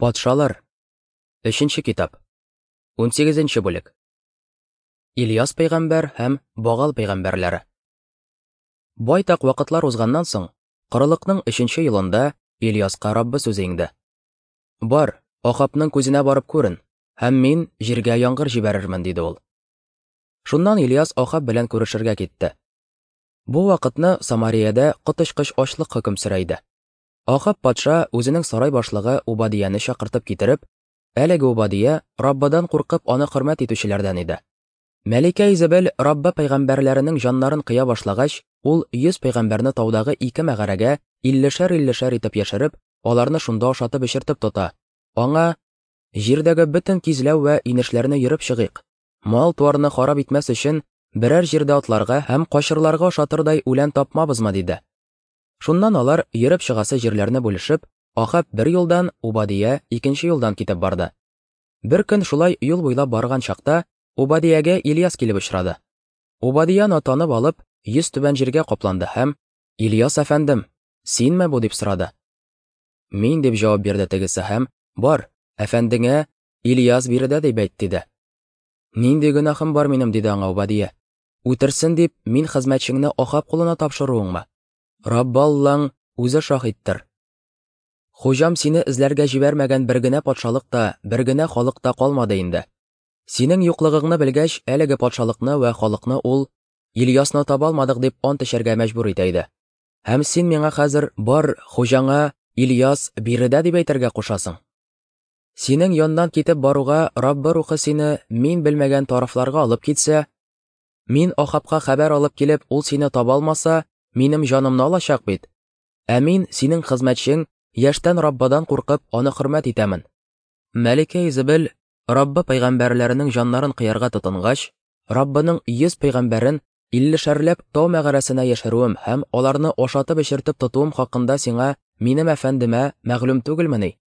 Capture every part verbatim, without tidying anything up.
Патшалар. Өченче китап. Унсигезенче бүлек. Ильяс пәйгамбәр һәм Багал пәйгамбәрләре. Байтак вакытлар узганнан соң, корылыкның өченче елында Ильяска Раббы сүзе иңде. Бар, Ахабның күзенә барып күрен, һәм мин җиргә яңгыр җибәрермен, диде ул. Шуннан Ильяс Ахаб белән күрешергә китте. Бу вакытны Самариядә коточкыч ачлык хөкем сөрә иде. Ахаб патша үзенең сарай башлыгы Убадияне чакыртып китереп, әлеге Убадия Раббыдан куркып аны хөрмәт итүчеләрдән иде. Мәликә Изабель Раббы пәйгамбәрләренең җаннарын кыя башлагач, ул йөз пәйгамбәрне таудагы ике мәгарәгә иллешәр-иллешәр итеп яшереп, аларны шунда ашатып эчертеп тота. Аңа: "Җирдәге бөтен кизләү вә инешләрне йөреп чыгыйк. Мал-туарны харап итмәс өчен берәр җирдә атларга һәм качырларга ашатырдай үлән тапмабызмы?" диде. Шуннан алар йөреп чыгасы җирләрне бүлешеп, Ахаб бер юлдан, Убадия икенче юлдан китеп барды. Бер көн шулай юл буйлап барган чакта Убадиягә Ильяс килеп очрады. Убадияны танып алып, йөз түбән җиргә капланды һәм: "Ильяс әфәндем, синме бу?" дип сорады. "Мин", дип җавап бирде тегесе һәм: "Бар, әфәндеңә Ильяс биредә дип әйт", диде. "Нинди гөнаһым бар минем?" диде аңа Убадия. "Үтерсен дип мин хезмәтчеңне Ахаб кулына тапшыруыңмы? Раббы Аллаң үзе шаһиттыр. Хуҗам сине эзләргә җибәрмәгән бер генә патшалык та, бер генә халык та калмады инде. Синең юклыгыңны белгәч, әлеге патшалыкны вә халыкны ул Ильясны таба алмадык дип ант эчәргә мәҗбүр итә иде. Һәм син миңа хәзер бар, хуҗаңа Ильяс биредә дип әйтергә кушасың. Синең яннан китеп баруга Раббы рухы сине мин белмәгән тарафларга алып китсә, мин Ахабка хәбәр алып килеп, ул сине таба алмаса, минем җанымны алачак бит. Ә мин, синең хезмәтчең, яшьтән Раббыдан куркып, аны хөрмәт итәмен. Мәликә Изабель Раббы пәйгамбәрләренең җаннарын кыярга тотынгач, Раббының йөз пәйгамбәрен иллешәрләп тау мәгарәсенә яшерүем һәм аларны ашатып эчертеп тотуым хакында сиңа, минем әфәндемә, мәгълүм түгелмени?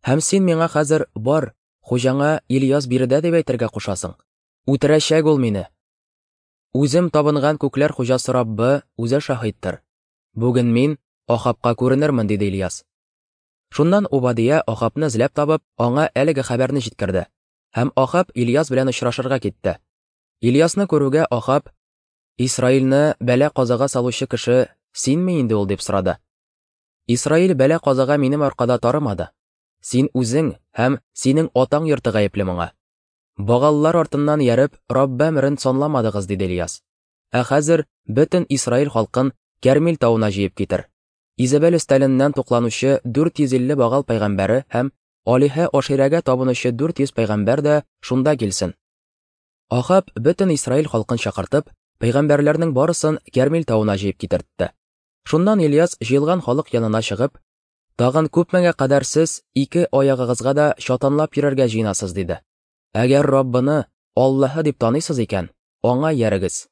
Һәм син миңа хәзер бар, хуҗаңа Ильяс биредә дип әйтергә кушасың. Үтерәчәк ул мине. Үзем табынган күкләр хуҗасы Раббы үзе шаһиттыр. Бүген мин Ахабка күренермен, диде Ильяс. Шуннан Убадия Ахабны эзләп табып, аңа әлеге хәбәрне җиткерде. Һәм Ахаб Ильяс белән очрашырга китте. Ильясны күрүгә Ахаб: "Исраилне бәла-казага салучы кеше синме инде ул?" дип сорады. "Исраил бәла-казага минем аркада тарымады. Син үзең һәм синең атаң йорты гаепле моңа. Багаллар артыннан ярып, Раббы әмерен санламадыгыз", диде Ильяс. "Ә хәзер бөтен Исраил халкын Кәрмил тавына җыеп китер. Изабель өстәленнән тукланучы дүрт йөз илле Багал пәйгамбәре һәм Алиһә Аширәгә табынучы дүрт йөз пәйгамбәр дә шунда килсен." Ахаб бөтен Исраил халкын чакыртып, пәйгамбәрләрнең барысын Кәрмил тавына җыеп китертте. Шуннан Ильяс җыелган халык янына чыгып: "Тагын күпмегә кадәр сез ике аягыгызга да чатанлап йөрергә җыенасыз?" диде. "Әгәр Раббыны Аллаһы дип таныйсыз икән, аңа иярегез.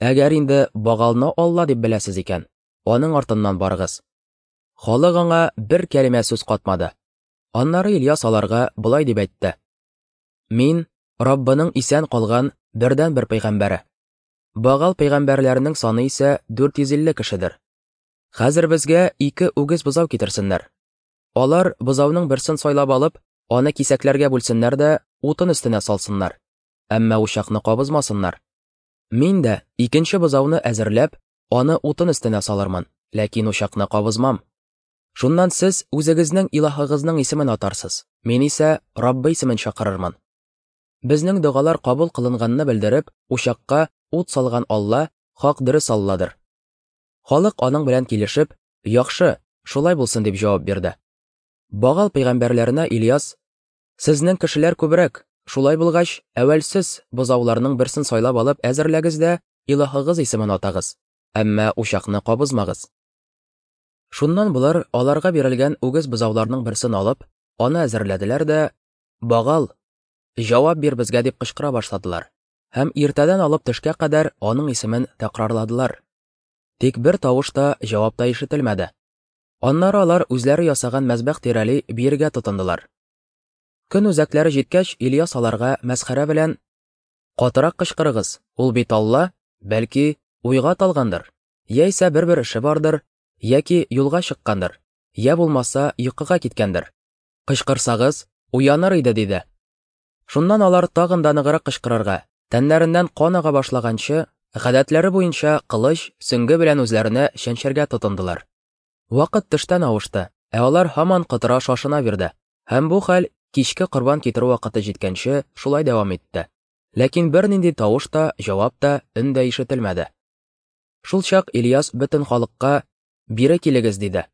Әгәр инде Багалны Алла дип беләсез икән, аның артыннан барыгыз." Халык аңа бер кәлимә сүз катмады. Аннары Ильяс аларга болай дип әйтте: "Мин Раббының исән калган бердәнбер пәйгамбәре. Багал пәйгамбәрләренең саны исә дүрт йөз илле кешедер. Хәзер безгә ике үгез бозау китерсеннәр. Алар бозауның берсен сайлап алып, аны кисәкләргә бүлсеннәр дә утын өстенә салсыннар, әмма учакны кабызмасыннар. Мин дә икенче бозауны әзерләп, аны утын өстенә салырмын, ләкин учакны кабызмам. Шуннан сез үзегезнең илаһыгызның исемен атарсыз, мин исә Раббы исемен чакырырмын. Безнең догалар кабул кылынганны белдереп, учакка ут салган Алла хак дөрес Алладыр." Халык аның белән килешеп: "Яхшы, шулай булсын", дип җавап бирде. Багал пәйгамбәрләренә Ильяс: "Сезнең кешеләр күбрәк, шулай булгач, әүвәл сез бозауларның берсен сайлап алып әзерләгез дә илаһыгыз исемен атагыз, әмма учакны кабызмагыз." Шуннан болар аларга бирелгән үгез бозауларның берсен алып, аны әзерләделәр дә: "Багал, җавап бир безгә", дип кычкыра башладылар. Һәм иртәдән алып төшкә кадәр аның исемен тәкрарладылар. Тик бер тавыш та, җавап та ишетелмәде. Аннары алар үзләре ясаган мәзбәх тирәли биергә тотындылар. Көн үзәкләре җиткәч, Ильяс аларга мәсхәрә белән: "Катырак кычкырыгыз, ул бит Алла, бәлки уйга талгандыр, яисә бер-бер эше бардыр, яки юлга чыккандыр, я булмаса йокыга киткәндер. Кычкырсагыз, уяныр иде, диде. Шуннан алар тагын да ныграк кычкырырга, тәннәреннән кан ага башлаганчы, гадәтләре буенча кылыч, сөңге белән үзләренә чәнчәргә тотындылар. Вакыт төштән авышты, ә алар һаман котыра шашына бирде. Һәм бу хәл кичке корбан китерү вакыты җиткәнче шулай дәвам итте. Ләкин бернинди тавыш та, җавап та, өн дә ишетелмәде. Шул чак Ильяс бөтен халыкка: «Бире килегез», диде.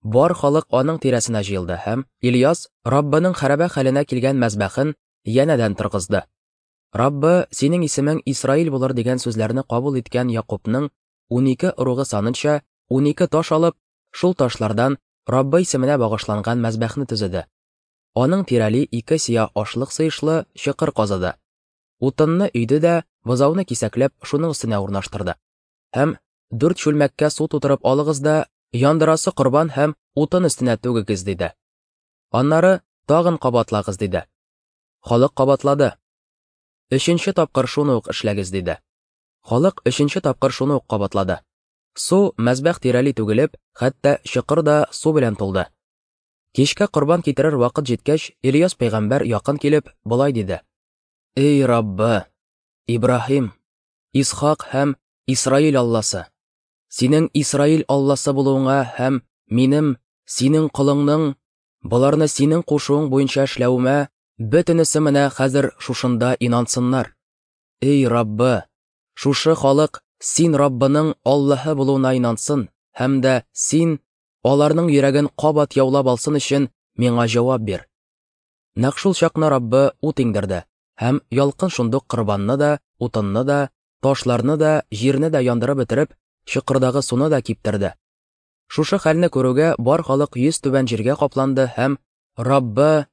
Бар халык аның тирәсенә җыелды һәм Ильяс Раббының хәрабә хәленә килгән мәзбәхен янәдән торгызды. Раббы, синең исемең Исраил булыр дигән сүзләрне кабул иткән Якубның унике ыругы санынча унике таш алып, шул ташлардан Раббы исеменә багышланган мәзбәхне төзеде. Аның тирәли ике сия ашлык сыешлы чокыр казыды. Утынны өйде дә, бозауны кисәкләп шуның өстенә урнаштырды. Һәм дүрт чүлмәккә су тутырып алыгыз да, яндырасы корбан һәм утын өстенә түгегез, диде. Аннары тагын кабатлагыз, диде. Халык кабатлады. Өченче тапкыр шуны ук эшләгез, диде. Халык өченче тапкыр шуны ук кабатлады. Су мәзбәх тирәли түгелеп, хәтта чокыр да су белән тулды. Кичкә корбан китерер вакыт җиткәч, Ильяс пәйгамбәр якын килеп, болай диде: Эй Раббы, Ибраһим, Исхак һәм Исраил Алласы, синең Исраил Алласы булуыңа һәм минем, синең колыңның, боларны синең кушуың буенча эшләвемә бөтенесе менә хәзер шушында инансыннар. Эй Раббы, шушы халык син Раббының Аллаһы булуына инансын һәм дә син аларның йөрәген кабат яулап алсын өчен миңа җавап бир. Нәкъ шул чакны Раббы ут иңдерде, һәм ялкын шундук корбанны да, утынны да, ташларны да, җирне дә яндырып бетереп, чокырдагы суны да киптерде. Шушы хәлне күрүгә бар халык йөз түбән җиргә капланды һәм Раббы,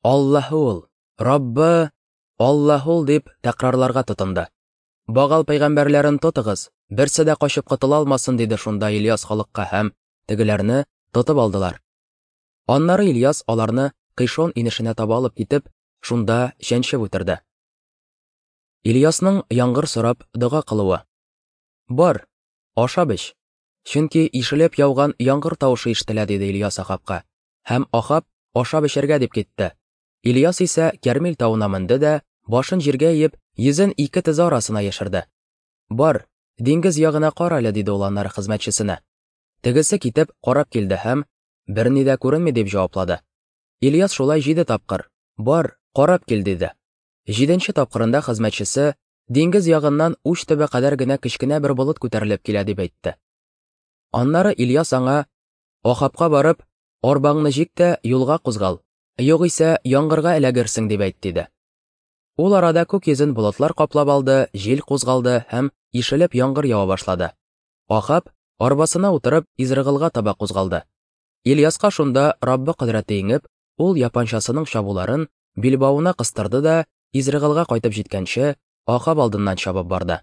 Аллаһы ул, Раббы, Аллаһы ул дип тәкрарларга тотынды. Багал пәйгамбәрләрен тотыгыз, берсе дә качып котыла алмасын, диде шунда Ильяс халыкка, һәм тегеләрне тотып алдылар. Аннары Ильяс аларны Кыйшон инешенә таба алып китеп, шунда чәнчеп үтерде. Ильясның яңгыр сорап дога кылуы. Бар, ашап эч, чөнки ишелеп яуган яңгыр тавышы ишетелә, диде Ильяс Ахабка. Һәм Ахаб ашап эчәргә дип китте. Ильяс исә Кәрмил тавына менде дә, башын җиргә иеп, йөзен ике тезе арасына яшерде. Бар, диңгез ягына кара әле, диде ул аннары хезмәтчесенә. Тегесе китеп карап килде һәм берни дә күренми дип җаваплады. Ильяс шулай җиде тапкыр: Бар, карап кил, диде. Җиденче тапкырында хезмәтчесе: Диңгез ягыннан уч төбе кадәр генә кечкенә бер болыт күтәрелеп килә, дип әйтте. Аннары Ильяс аңа: Ахабка барып, арбаңны җик тә юлга кузгал, югыйсә яңгырга эләгерсең, дип әйт, диде. Ул арада күк йөзен болытлар каплап алды, җил кузгалды һәм ишелеп яңгыр ява башлады. Ахаб арбасына утырып Изрыгылга таба кузгалды. Ильяска шунда Раббы кодрәте иңеп, ул япанчасының чабуларын билбавына кыстырды да Изрыгылга кайтып җиткәнче Ахаб алдыннан чабып барды.